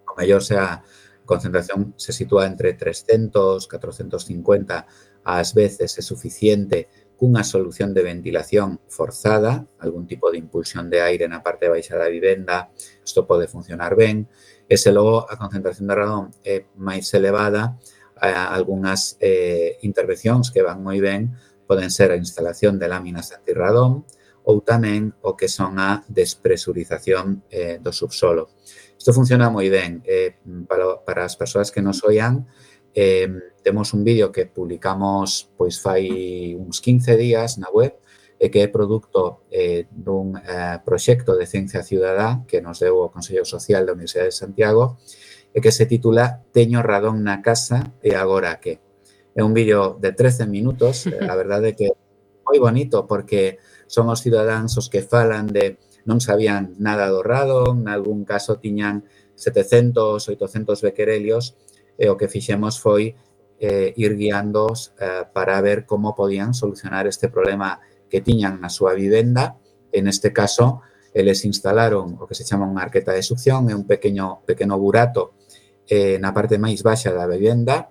o mellor se a concentración se sitúa entre trescentos, catrocentos cincuenta, ás veces é suficiente cunha solución de ventilación forzada, algún tipo de impulsión de aire na parte baixa da vivenda, isto pode funcionar ben, e se logo a concentración de radón é máis elevada, algunhas eh, intervencións que van moi ben poden ser a instalación de láminas antirradón, ou tamén o que son a despresurización eh, do subsolo. Isto funciona moi ben. Eh, para, para as persoas que nos oian, eh, temos un vídeo que publicamos pois fai uns quince días na web e que é produto eh, dun eh, proxecto de ciencia ciudadá que nos deu o Consello Social da Universidade de Santiago e que se titula Teño radón na casa e agora que? É un vídeo de trece minutos, a verdade é que é moi bonito porque son os cidadáns os que falan de non sabían nada do radón, nalgún caso tiñan setecentos, oitocentos bequerelios e o que fixemos foi eh, ir guiándoos eh, para ver como podían solucionar este problema que tiñan na súa vivenda. En este caso, eles instalaron o que se chama unha arqueta de succión, é un pequeno, pequeno burato eh, na parte máis baixa da vivenda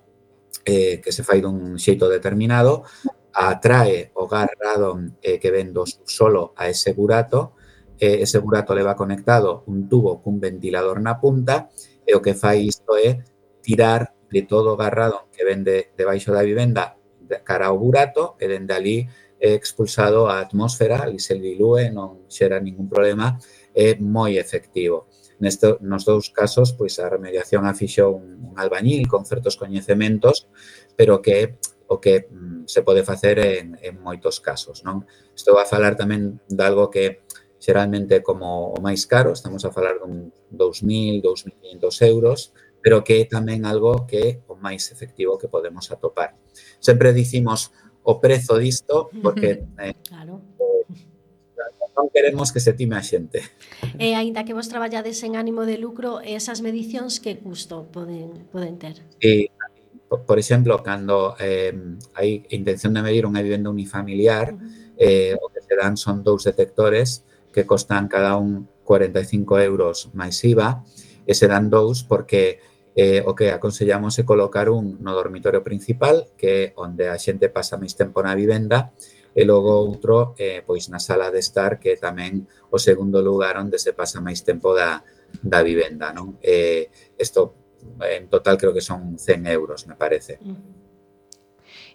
eh, que se fai dun xeito determinado, atrae o gas radón eh, que ven do subsolo a ese burato, eh, ese burato leva conectado un tubo cun ventilador na punta e o que fai isto é tirar de todo o gas radón que ven de, debaixo da vivenda de cara ao burato e dende ali é expulsado á atmósfera, ali se dilúe, non xera ningún problema, é moi efectivo. Nesto, nos dous casos, pois a remediación a fixo un, un albañil con certos coñecementos, pero que o que mm, se pode facer en, en moitos casos, non? Estou a falar tamén de algo que xeralmente como o máis caro, estamos a falar dun dous mil, dous mil e quinhentos euros, pero que é tamén algo que é o máis efectivo que podemos atopar. Sempre dicimos o prezo disto porque eh, Claro. non queremos que se time a xente. E aínda que vos traballades en ánimo de lucro, esas medicións que custo poden, poden ter? E, por, por exemplo, cando eh, hai intención de medir unha vivenda unifamiliar, eh, o que se dan son dous detectores que costan cada un cuarenta e cinco euros máis I V A, e se dan dous porque eh, o que aconsellamos é colocar un no dormitorio principal, que é onde a xente pasa máis tempo na vivenda, e logo outro eh, pois na sala de estar, que é tamén o segundo lugar onde se pasa máis tempo da, da vivenda, non? Eh, isto en total creo que son cen euros, me parece.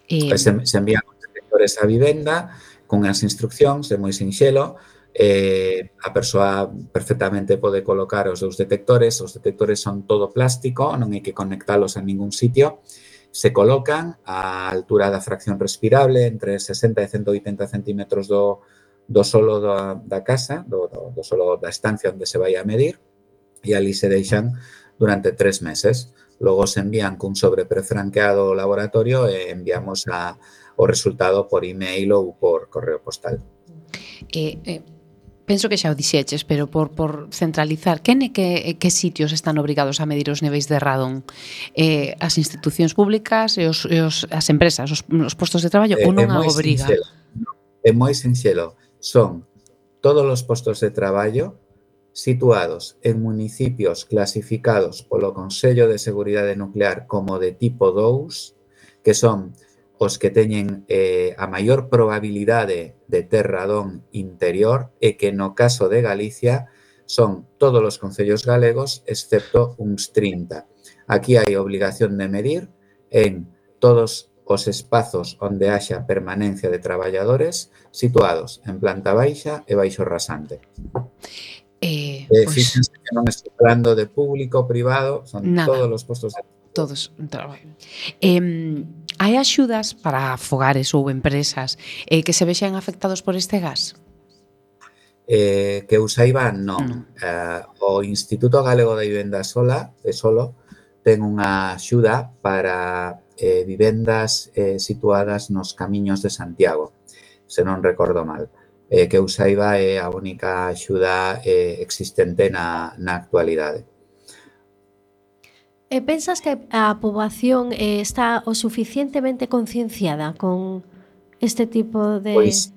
Eh, Se, se envían os detectores á vivenda con as instruccións, é moi sinxelo, eh, a persoa perfectamente pode colocar os dous detectores, os detectores son todo plástico, non hai que conectalos a ningún sitio, se colocan á altura da fracción respirable, entre sesenta e ciento oitenta centímetros do, do solo da, da casa, do, do, do solo da estancia onde se vai a medir, e ali se deixan durante tres meses. Logo se envían cun sobre prefranqueado ao laboratorio e enviamos a, o resultado por email ou por correo postal. eh, eh, penso que xa o dixeches, pero por, por centralizar, quen e que, que sitios están obrigados a medir os niveis de radón? Eh, as institucións públicas e, os, e os, as empresas, os, os postos de traballo, Eh, ou non é a moi obriga? sinxelo. É moi sinxelo. Son todos os postos de traballo situados en municipios clasificados polo Consello de Seguridade Nuclear como de tipo dous, que son os que teñen eh, a maior probabilidade de ter radón interior e que no caso de Galicia son todos os concellos galegos excepto uns trinta. Aquí hai obligación de medir en todos os espazos onde haxa permanencia de traballadores situados en planta baixa e baixo rasante. Eh, Eh, pois, fíxense que non estou falando de público, privado, son Nada. todos os postos de todos un traballo. Eh, hai axudas para fogares ou empresas eh, que se vexan afectados por este gas? Eh, que eu saiba, non. Non. Eh, o Instituto Galego da Vivenda Sola, de Solo, ten unha axuda para eh, vivendas eh, situadas nos camiños de Santiago, se non recordo mal. Eh, que eu saiba é a única axuda eh, existente na, na actualidade. E pensas que a poboación eh, está o suficientemente concienciada con este tipo de... Pois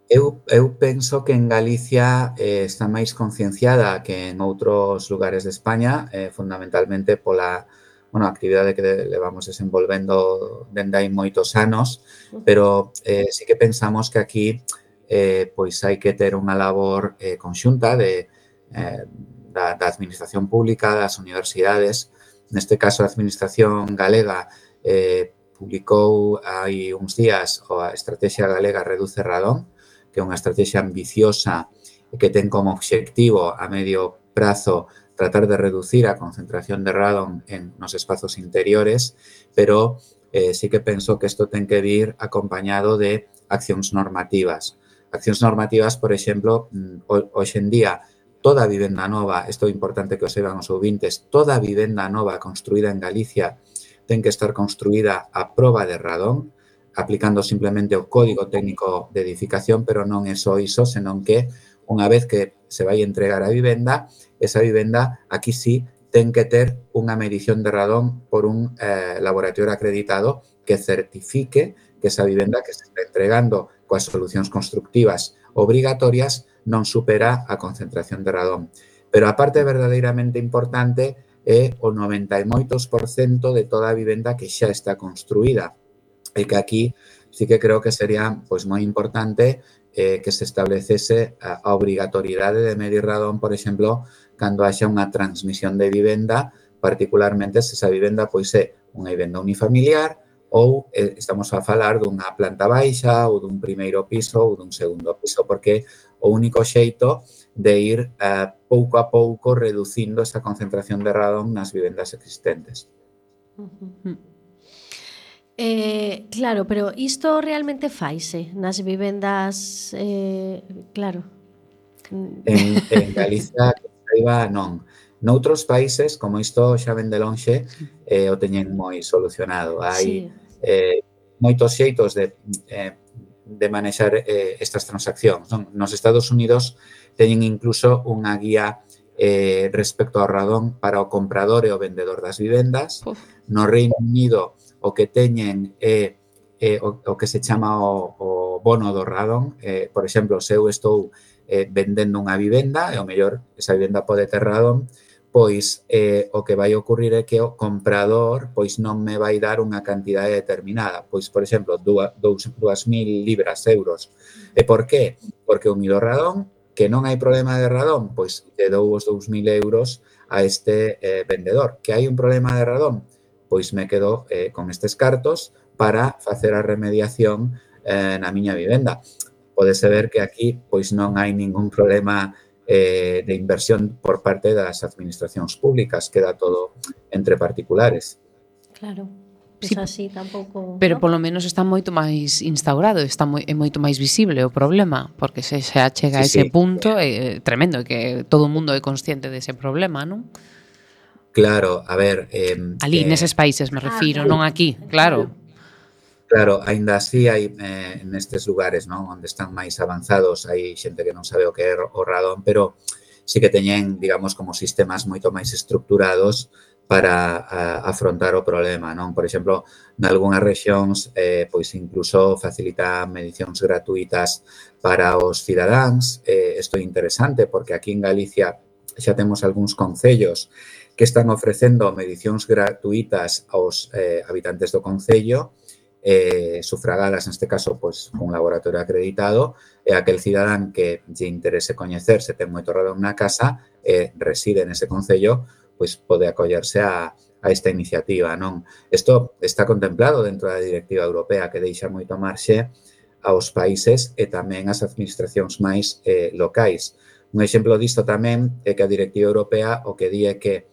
eu, eu penso que en Galicia eh, está máis concienciada que en outros lugares de España, eh, fundamentalmente pola bueno, a actividade que levamos desenvolvendo dende hai moitos anos, pero eh, sí que pensamos que aquí eh, pois hai que ter unha labor eh, conxunta de, eh, da, da administración pública, das universidades. Neste caso, a administración galega eh, publicou hai uns días a Estrategia Galega Reduce Radón, que é unha estrategia ambiciosa que ten como obxectivo a medio prazo tratar de reducir a concentración de radón en nos espazos interiores, pero eh, sí que penso que isto ten que vir acompañado de accións normativas. Accións normativas, por exemplo, hoxe en día, toda vivenda nova, isto é importante que o saiban os ouvintes, toda vivenda nova construída en Galicia ten que estar construída a proba de radón, aplicando simplemente o Código Técnico de Edificación, pero non é só iso, senón que unha vez que se vai entregar a vivenda, esa vivenda aquí sí ten que ter unha medición de radón por un eh, laboratorio acreditado que certifique que esa vivenda que se está entregando coas solucións constructivas obrigatorias non supera a concentración de radón. Pero a parte verdadeiramente importante é o noventa e moitos por cento de toda a vivenda que xa está construída. E que aquí sí que creo que sería pois moi importante eh, que se establecese a, a obrigatoriedade de medir radón, por exemplo, cando haxa unha transmisión de vivenda, particularmente se esa vivenda pois é unha vivenda unifamiliar ou eh, estamos a falar dunha planta baixa ou dun primeiro piso ou dun segundo piso, porque o único xeito de ir eh, pouco a pouco reducindo esa concentración de radón nas vivendas existentes. Uh-huh. Eh, claro, pero isto realmente faise nas vivendas, eh, claro. En, en Galicia, que saiba, non. Noutros países, como isto xa ven de lonxe, eh, o teñen moi solucionado. Hai Sí. eh, moitos xeitos de, eh, de manexar eh, estas transaccións. Non? Nos Estados Unidos teñen incluso unha guía eh, respecto ao radón para o comprador e o vendedor das vivendas. Uf. No Reino Unido o que teñen é eh, o, o que se chama o, o bono do radón. Eh, por exemplo, se eu estou eh, vendendo unha vivenda e o mellor esa vivenda pode ter radón, pois eh, o que vai ocurrir é que o comprador pois non me vai dar unha cantidade determinada. Pois, por exemplo, dúas mil libras, euros. E por qué? Porque o mido radón, que non hai problema de radón, pois te dou os dous mil euros a este eh, vendedor. Que hai un problema de radón? Pois me quedo eh, con estes cartos para facer a remediación eh, na miña vivenda. Podese ver que aquí pois non hai ningún problema eh, de inversión por parte das administracións públicas, queda todo entre particulares. Claro, Sí, pois así tampouco... Pero ¿no? polo menos está moito máis instaurado, está moi, é moito máis visible o problema, porque se se achega a Sí, ese sí. punto é tremendo, que todo o mundo é consciente dese problema, non? Claro, a ver... Eh, Ali, eh, neses países me Ah, refiro, claro. non aquí, claro. Claro, aínda así hai eh, nestes lugares, non, onde están máis avanzados, hai xente que non sabe o que é o radón, pero sí que teñen, digamos, como sistemas moito máis estructurados para a, afrontar o problema, non? Por exemplo, nalgúnas rexións, eh, pois incluso facilitan medicións gratuitas para os cidadáns. Eh, isto é interesante porque aquí en Galicia xa temos algúns concellos que están ofrecendo medicións gratuitas aos eh, habitantes do concello, eh, sufragadas, neste caso, pois, un laboratorio acreditado, e aquel cidadán que lle interese coñecer se ten moito radón na casa e eh, reside nese concello, pois pode acollerse a, a esta iniciativa, non? Isto está contemplado dentro da Directiva Europea que deixa moito marxe aos países e tamén ás administracións máis eh, locais. Un exemplo disto tamén é que a Directiva Europea o que di é que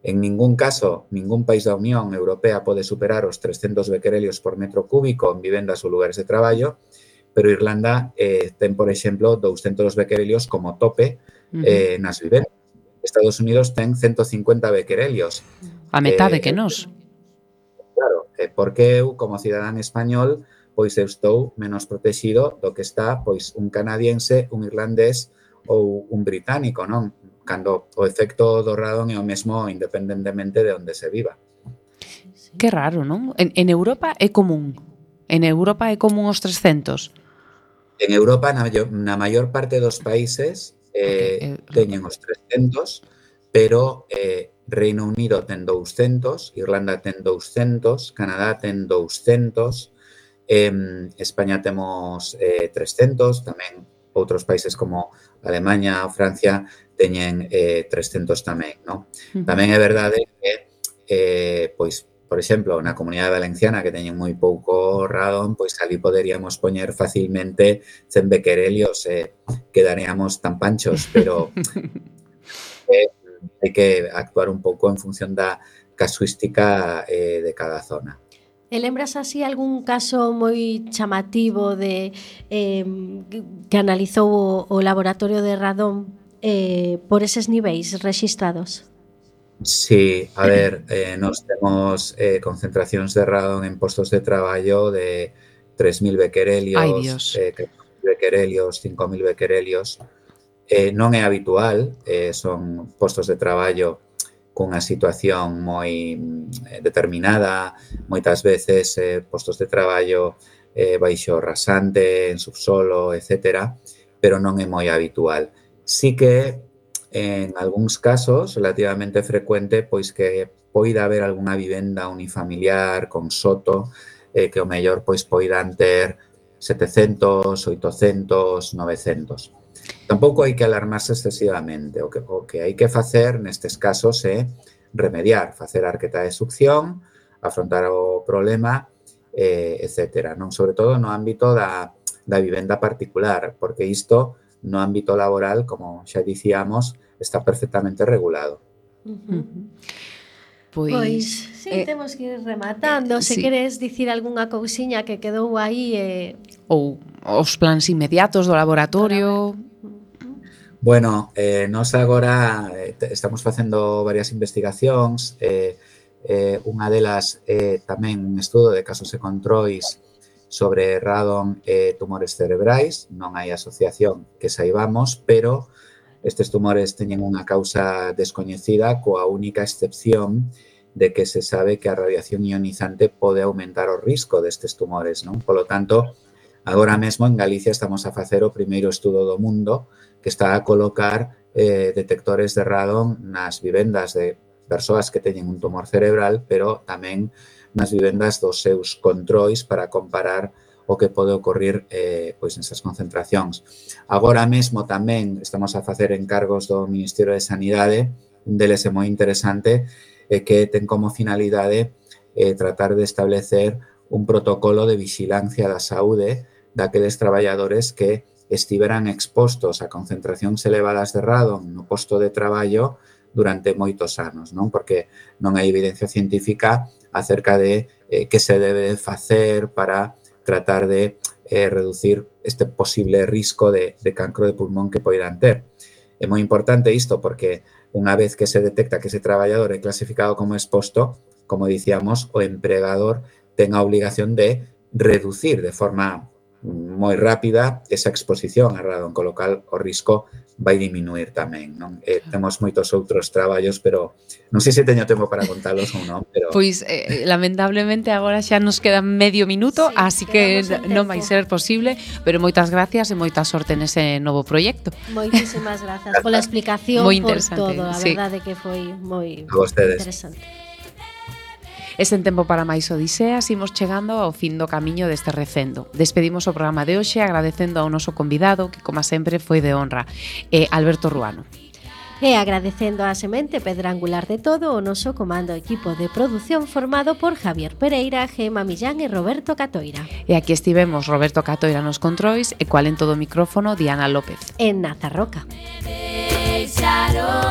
en ningún caso, ningún país da Unión Europea pode superar os trescentos bequerelios por metro cúbico en vivendas ou lugares de traballo, pero Irlanda eh, ten, por exemplo, douscentos bequerelios como tope eh, nas vivendas. Estados Unidos ten ciento cincuenta bequerelios. A metade Eh, que nós. Claro, eh, porque eu, como cidadán español, pois eu estou menos protegido do que está pois un canadiense, un irlandés ou un británico, non? Cando o efecto do radón é o mesmo independentemente de onde se viva. Que raro, non? En, en Europa é común. En Europa é común os trescentos. En Europa, na, maior, na maior parte dos países, eh, Okay, eh, teñen os trescentos, pero eh, Reino Unido ten douscentos, Irlanda ten douscentos, Canadá ten douscentos, eh, España temos eh, trescentos, tamén outros países como Alemanha ou Francia teñen eh, trescentos tamén, non? Uh-huh. Tamén é verdade que, eh, pois, por exemplo, na Comunidade Valenciana que teñen moi pouco radón, pois ali poderíamos poñer facilmente cen bequerelios e eh, quedaríamos tan panchos, pero eh, hai que actuar un pouco en función da casuística eh, de cada zona. E lembras así algún caso moi chamativo de eh, que analizou o, o laboratorio de radón eh, por eses niveis rexistrados? Sí, a ver, eh, nos temos eh, concentracións de radón en postos de traballo de tres mil bequerelios, Ai, Dios. eh, bequerelios, cinco mil bequerelios. Eh, non é habitual, eh, son postos de traballo cunha situación moi determinada, moitas veces eh, postos de traballo eh, baixo rasante, en subsolo, etcétera, pero non é moi habitual. Sí que en algúns casos relativamente frecuente pois que poida haber algunha vivenda unifamiliar con soto eh, que o mellor pois poidan ter setecentos, oitocentos, novecentos. Tampouco hai que alarmarse excesivamente. O que, o que hai que facer nestes casos é remediar, facer a arqueta de succión, afrontar o problema, eh, etcétera. Non? Sobre todo no ámbito da, da vivenda particular, porque isto no ámbito laboral, como xa dicíamos, está perfectamente regulado. Uh-huh. Pois, Pois, sí, eh, temos que ir rematando. Se sí. queres dicir algunha cousiña que quedou aí... Eh... ou os plans inmediatos do laboratorio. Bueno, eh, nós agora eh, estamos facendo varias investigacións, eh, eh, unha delas é eh, tamén un estudo de casos e controis sobre radon e tumores cerebrais. Non hai asociación que saibamos, pero estes tumores teñen unha causa descoñecida coa única excepción de que se sabe que a radiación ionizante pode aumentar o risco destes tumores, non? Polo tanto, agora mesmo en Galicia estamos a facer o primeiro estudo do mundo que está a colocar eh, detectores de radon nas vivendas de persoas que teñen un tumor cerebral, pero tamén nas vivendas dos seus controis para comparar o que pode ocorrir eh, pois nesas concentracións. Agora mesmo tamén estamos a facer encargos do Ministerio de Sanidade, un deles é moi interesante, e que ten como finalidade eh, tratar de establecer un protocolo de vixilancia da saúde daqueles traballadores que estiveran expostos a concentracións elevadas de radon no posto de traballo durante moitos anos, non? Porque non hai evidencia científica acerca de eh, que se debe facer para tratar de eh, reducir este posible risco de, de cancro de pulmón que poidan ter. É moi importante isto porque unha vez que se detecta que ese traballador é clasificado como exposto, como dicíamos, o empregador ten a obligación de reducir de forma moi rápida esa exposición a radon, con lo cal o risco vai diminuir tamén, non? Eh, temos moitos outros traballos, pero non sei se teño tempo para contalos ou non, pero... Pois, eh, lamentablemente, agora xa nos queda medio minuto, Sí, así que non vai tempo. ser posible, pero moitas gracias e moita sorte nese novo proxecto. Moitísimas grazas pola explicación, Moi por interesante, todo. A sí. verdade que foi moi A vostedes. interesante. E sen tempo para máis odiseas, imos chegando ao fin do camiño deste recendo. Despedimos o programa de hoxe agradecendo ao noso convidado, que, como sempre, foi de honra, eh, Alberto Ruano. E agradecendo a semente pedra angular de todo o noso comando equipo de produción formado por Javier Pereira, Gema Millán e Roberto Catoira. E aquí estivemos Roberto Catoira nos controis e cual en todo o micrófono Diana López. En Nazarroca. Deixaron